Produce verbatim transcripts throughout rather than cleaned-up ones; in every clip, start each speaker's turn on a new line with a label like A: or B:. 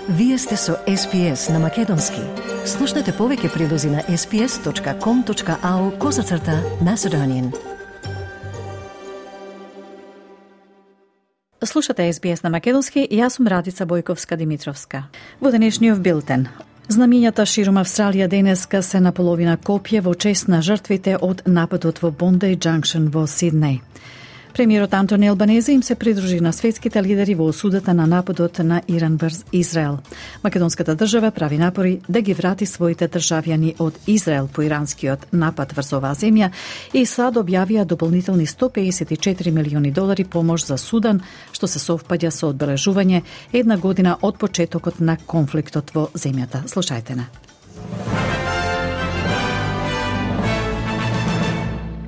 A: Вие сте со Ес Би Ес на Македонски. Слушнете повеќе прилози на ес би ес точка ком точка ау козацрта Macedonian.
B: Слушате Ес Би Ес на Македонски и јас сум Радица Бојковска-Димитровска. Во денешниот билтен. Знамињата ширум Австралија денеска се на половина копје во чест на жртвите од нападот во Bondi Junction во Сиднеј. Премиерот Антони Албанезе им се придружи на светските лидери во осудата на нападот на Иран врз Израел. Македонската држава прави напори да ги врати своите државјани од Израел по иранскиот напад врз оваа земја и САД објавија дополнителни сто педесет и четири милиони долари помош за Судан, што се совпаѓа со одбележување една година од почетокот на конфликтот во земјата. Слушајте на.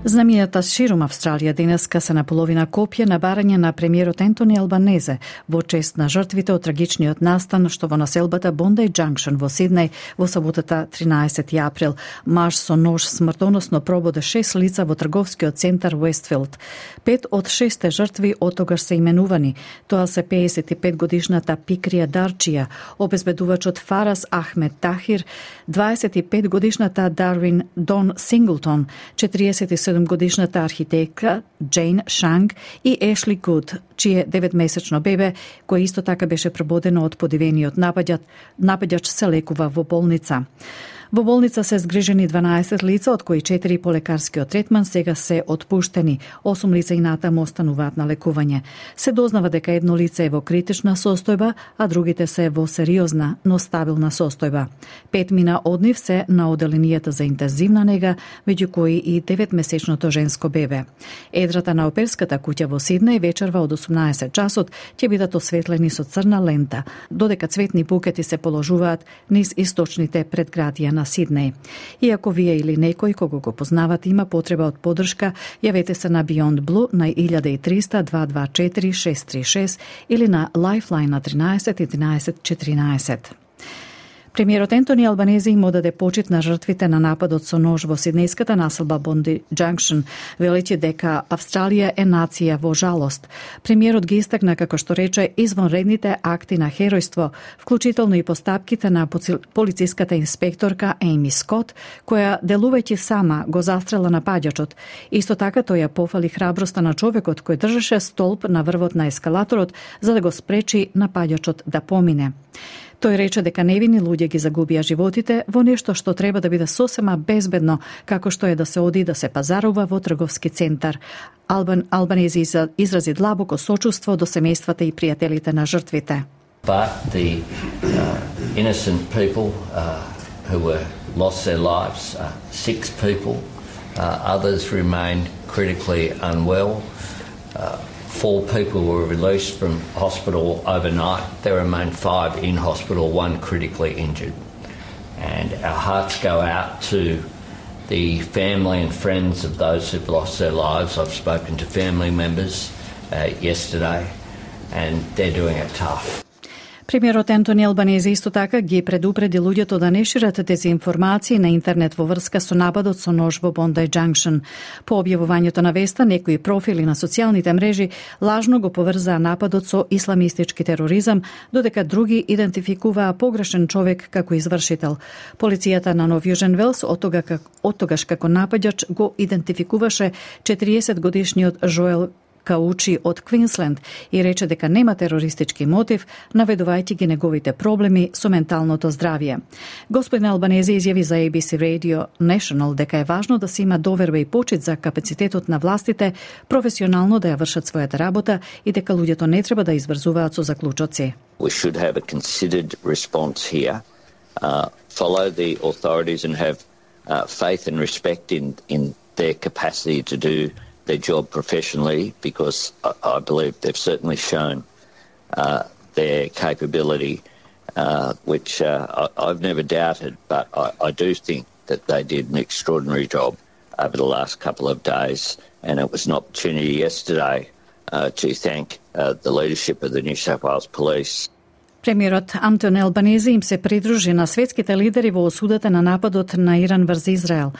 B: Знамињата ширум Австралија денеска се на половина копје на барање на премиерот Антони Албанезе во чест на жртвите од трагичниот настан што во населбата Bondi Junction во Сиднеј во саботата тринаесети април маж со нож смртоносно прободе шест лица во трговскиот центар Уестфилд. Пет од шесте жртви оттогаш се именувани. Тоа се педесет и пет годишната Пикрија Дарчија, обезбедувачот Фарас Ахмед Тахир, дваесет и пет годишната Дарвин Дон Синглтон, четириесет и седум годишната архитектка Джейн Шанг и Ешли Гуд, чие деветмесечно бебе, кој исто така беше прободено од подивениот напаѓач, напаѓач се лекува во болница. Во болница се згрижени дванаесет лица, од кои четири по лекарскиот третман сега се отпуштени. осум лица и натаму остануваат на лекување. Се дознава дека едно лице е во критична состојба, а другите се во сериозна, но стабилна состојба. Пет мина од нив се на оделенијата за интензивна нега, меѓу кои и деветмесечното женско бебе. Едрата на оперската куќа во Сиднеј вечерва од осумнаесет часот ќе бидат осветлени со црна лента, додека цветни букети се положуваат низ источните предградија на Сиднеј. Иако вие или некој кого го познавате има потреба од поддршка, јавете се на Beyond Blue на илјада и триста дваесет и дваесет четири шест три шест или на Lifeline на тринаесет единаесет четиринаесет. Премиерот Антони Албанезе им одаде почит на жртвите на нападот со нож во сиднејската населба Bondi Junction, велејќи дека Австралија е нација во жалост. Премиерот ги истакна, како што рече, извонредните акти на херојство, вклучително и постапките на полициската инспекторка Ейми Скот, која делувајќи сама го застрела напаѓачот. Исто така тој ја пофали храброста на човекот кој држеше столб на врвот на ескалаторот за да го спречи напаѓачот да помине. Тој рече дека невини луѓе ги загубија животите во нешто што треба да биде сосема безбедно, како што е да се оди да се пазарува во трговски центар. Албан, Албанези изрази длабоко сочувство до семејствата и пријателите на жртвите.
C: But the uh, innocent people uh, who were lost their lives, uh, six people, uh, others remain critically unwell. Uh, Four people were released from hospital overnight. There remain five in hospital, one critically injured. And our hearts go out to the family and friends of those who've lost their lives. I've spoken to family members uh, yesterday, and they're doing it tough.
B: Премиерот Антони Албанезе исто така ги предупреди луѓето да не шират дезинформации на интернет во врска со нападот со нож во Bondi Junction. По објавувањето на веста, некои профили на социјалните мрежи лажно го поврзаа нападот со исламистички тероризам, додека други идентификуваа погрешен човек како извршител. Полицијата на Нов Јужен Велс оттогаш како напаѓач го идентификуваше четириесет годишниот Жоел Каучи од Квинсленд и рече дека нема терористички мотив, наведувајќи ги неговите проблеми со менталното здравје. Господин Албанезе изјави за Ей Би Си Radio National дека е важно да се има доверба и почит за капацитетот на властите професионално да ја вршат својата работа и дека луѓето не треба да избрзуваат со заклучоци.
D: We should have a considered response here, uh, follow the authorities and have uh, faith and respect in, in their capacity to do their job professionally, because I, I believe they've certainly shown uh, their capability, uh, which uh, I, I've never doubted, but I, I do think that they did an extraordinary job over the last couple of days, and it was an opportunity yesterday uh, to thank uh, the leadership of the New South Wales Police.
B: Премиерот Антони Албанезе им се придружи на светските лидери во осудата на нападот на Иран врз Израел.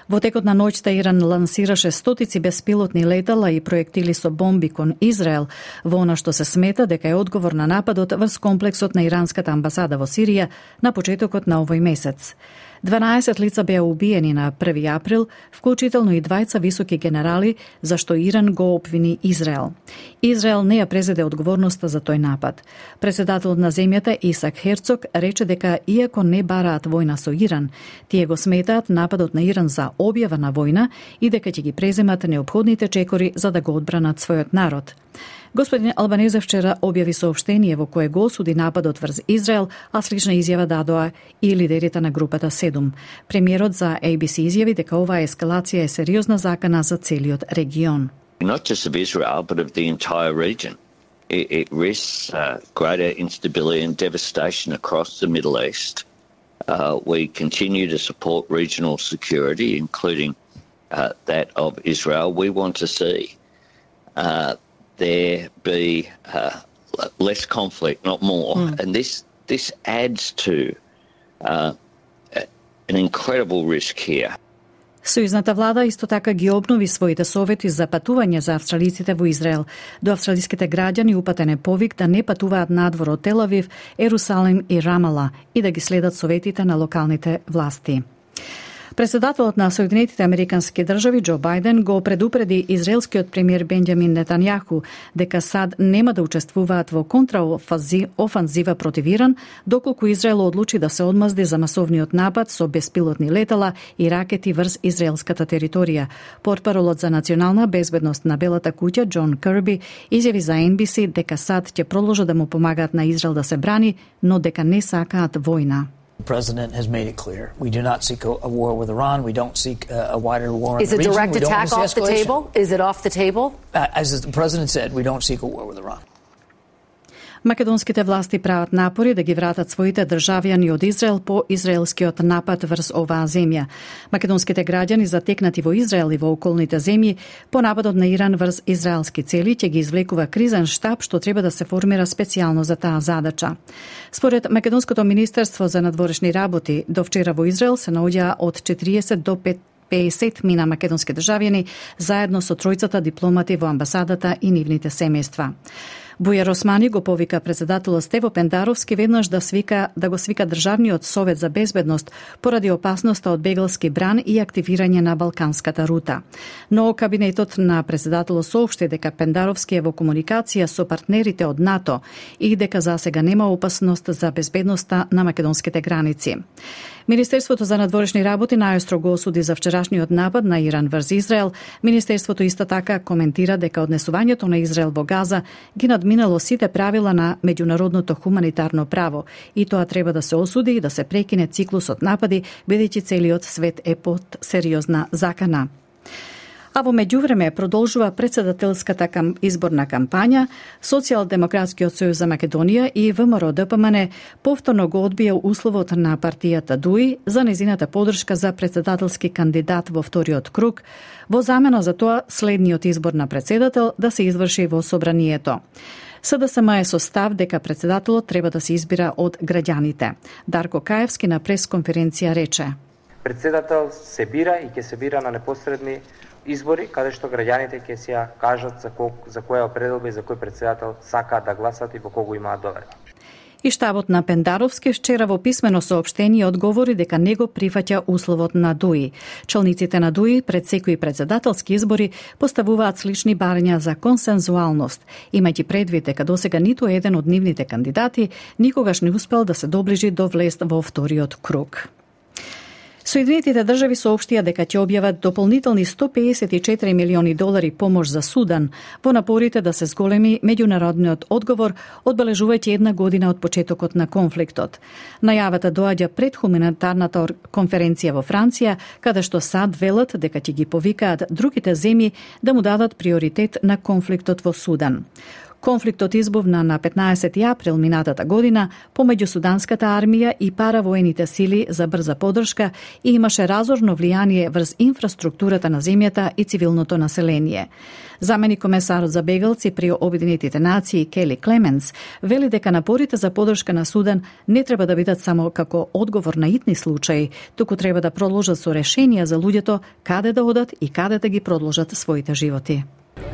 B: Во текот на ноќта Иран лансираше стотици беспилотни летала и проектили со бомби кон Израел, во она што се смета дека е одговор на нападот врз комплексот на иранската амбасада во Сирија на почетокот на овој месец. дванаесет лица беа убиени на први април, вклучително и двајца високи генерали, за што Иран го обвини Израел. Израел не ја презеде одговорноста за тој напад. Председателот на земјата Исак Херцог рече дека иако не бараат војна со Иран, тие го сметаат нападот на Иран за објава на војна и дека ќе ги преземат неопходните чекори за да го одбранат својот народ. Господин Албанезе вчера објави соопштение во кое го осуди нападот врз Израел, а слична изјава дадоа и лидерите на групата седум. Премиерот за A B C изјави дека оваа ескалација е сериозна закана за целиот регион.
D: Not just of Israel, but of the entire region. It, it risks uh, greater instability and devastation across the Middle East. Uh, we continue to support regional security, including uh, that of Israel. We want to see uh, there be uh, less conflict, not more. Mm. And this this adds to uh, an incredible risk here.
B: Сојузната влада исто така ги обнови своите совети за патување за австралиците во Израел. До австралиските граѓани упатен е повик да не патуваат надвор од Тел Авив, Ерусалим и Рамала и да ги следат советите на локалните власти. Председателот на Соединетите Американски држави Џо Бајден го предупреди израелскиот премиер Бенџамин Нетањаху дека САД нема да учествуваат во контраофанзива против Иран, доколку Израел одлучи да се одмазди за масовниот напад со беспилотни летала и ракети врз израелската територија. Портпаролот за национална безбедност на Белата куќа Џон Кирби изјави за Ен Би Си дека САД ќе продолжат да му помагаат на Израел да се брани, но дека не сакаат војна.
E: The president has made it clear. We do not seek a, a war with Iran. We don't seek a, a wider war in
F: is
E: the region.
F: Is a direct
E: we
F: attack off the table? Is it off the table?
E: Uh, as the president said, we don't seek a war with Iran.
B: Македонските власти прават напори да ги вратат своите државјани од Израел по израелскиот напад врз оваа земја. Македонските граѓани затекнати во Израел и во околните земји по нападот на Иран врз израелски цели ќе ги извлекува кризен штаб што треба да се формира специјално за таа задача. Според Македонското министерство за надворешни работи, до вчера во Израел се наоѓаа од четириесет до петдесет мина македонски државјани заедно со тројцата дипломати во амбасадата и нивните семејства. Бујар Османи го повика председателот Стево Пендаровски веднаш да свика да го свика Државниот совет за безбедност поради опасноста од бегалски бран и активирање на Балканската рута. Но кабинетот на председателот соопшти дека Пендаровски е во комуникација со партнерите од НАТО и дека засега нема опасност за безбедноста на македонските граници. Министерството за надворешни работи најостро го осуди за вчерашниот напад на Иран врз Израел. Министерството исто така коментира дека однесувањето на Израел во Газа ги надминало сите правила на меѓународното хуманитарно право и тоа треба да се осуди и да се прекине циклусот напади, бидејќи целиот свет е под сериозна закана. А во меѓувреме продолжува председателската кам... изборна кампања, Социјалдемократскиот сојуз за Македонија и ВМРО Д П М Н повторно го одбија условот на партијата ДУИ за незината подршка за председателски кандидат во вториот круг, во замена за тоа следниот избор на председател да се изврши во собранието. С Д С М е со став дека председателот треба да се избира од граѓаните. Дарко Каевски на пресконференција рече:
G: Председател се бира и ќе се бира на непосредни избори, каде што граѓаните ќе си ја кажат за, ко, за која определба и за кој председател сакаат да гласат и во кого имаат доверба.
B: И штабот на Пендаровски вчера во писмено соопштение одговори дека не го прифаќа условот на ДУИ. Челниците на ДУИ пред секои председателски избори поставуваат слични барања за консензуалност, имајќи предвид дека досега ниту еден од нивните кандидати никогаш не успел да се доближи до влест во вториот круг. Соединетите држави соопштија дека ќе објават дополнителни сто педесет и четири милиони долари помош за Судан во напорите да се зголеми меѓународниот одговор, одбележувајќи една година од почетокот на конфликтот. Најавата доаѓа пред хуманитарната конференција во Франција, каде што САД велат дека ќе ги повикаат другите земји да му дадат приоритет на конфликтот во Судан. Конфликтот избувна на петнаесети април минатата година помеѓу суданската армија и паравоените сили за брза поддршка и имаше разорно влијание врз инфраструктурата на земјата и цивилното население. Заменик комесарот за бегалци при Обединетите нации Кели Клеменс вели дека напорите за поддршка на Судан не треба да бидат само како одговор на итни случаи, туку треба да продолжат со решенија за луѓето каде да одат и каде да ги продолжат своите животи.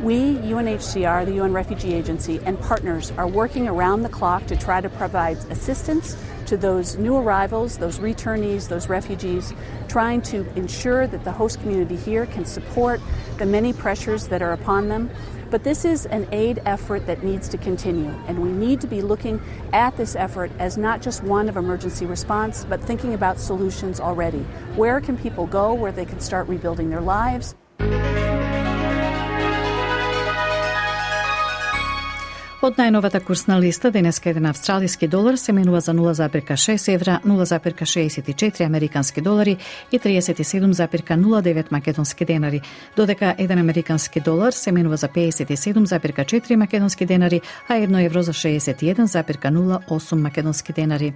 H: We, U N H C R, the U N Refugee Agency, and partners are working around the clock to try to provide assistance to those new arrivals, those returnees, those refugees, trying to ensure that the host community here can support the many pressures that are upon them. But this is an aid effort that needs to continue, and we need to be looking at this effort as not just one of emergency response, but thinking about solutions already. Where can people go where they can start rebuilding their lives?
B: Од најновата курсна листа, денеска еден австралиски долар се менува за нула зарез шест евра, нула зарез шеесет и четири американски долари и триесет и седум зарез нула девет македонски денари, додека еден американски долар се менува за пеесет и седум зарез четири македонски денари, а едно евро за шеесет и еден зарез нула осум македонски денари.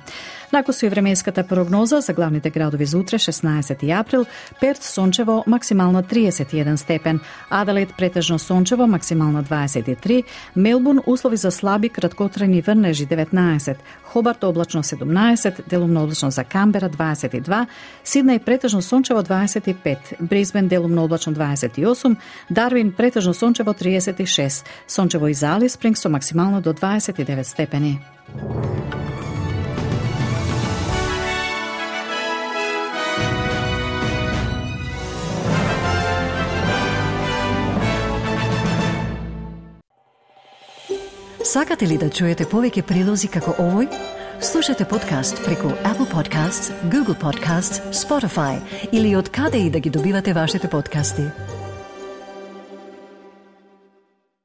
B: Нако со временската прогноза за главните градови за утре, шеснаесети април, Перт сончево, максимална триесет и еден степен, Аделаид претежно сончево, максимална дваесет и три, Мелбурн услови за слаби краткотрajни врнежи деветнаесет, Хобарт облачно седумнаесет, делумно облачно за Камбера дваесет и два, Сиднеј претежно сончево дваесет и пет, Брисбен делумно облачно дваесет и осум, Дарвин претежно сончево триесет и шест, сончево и за Алис Спрингс со максимално до дваесет и девет степени.
A: Сакате ли да чуете повеќе прилози како овој? Слушате подкаст преку Apple Podcasts, Google Podcasts, Spotify или од каде и да ги добивате вашите подкасти.